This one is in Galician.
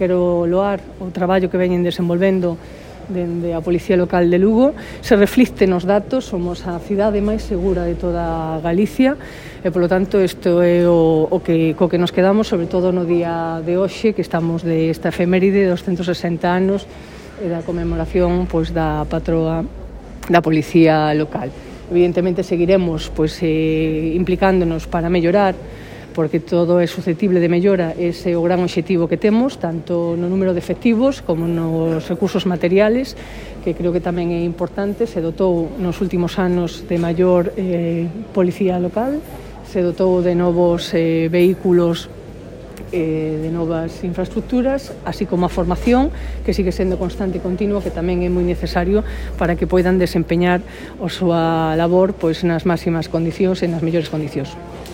Quero loar o traballo que veñen desenvolvendo dende a Policía Local de Lugo. Se reflicte nos datos, somos a cidade máis segura de toda Galicia e, polo tanto, isto é co que nos quedamos, sobre todo no día de hoxe, que estamos desta efeméride de 260 anos e da conmemoración da patroa da Policía Local. Evidentemente, seguiremos implicándonos para mellorar, porque todo é susceptible de mellora, ese é o gran obxectivo que temos, tanto no número de efectivos como nos recursos materiales, que creo que tamén é importante. Se dotou nos últimos anos de maior policía local, se dotou de novos vehículos, de novas infraestructuras, así como a formación, que sigue sendo constante e continua, que tamén é moi necesario para que poidan desempeñar a súa labor nas máximas condicións e nas mellores condicións.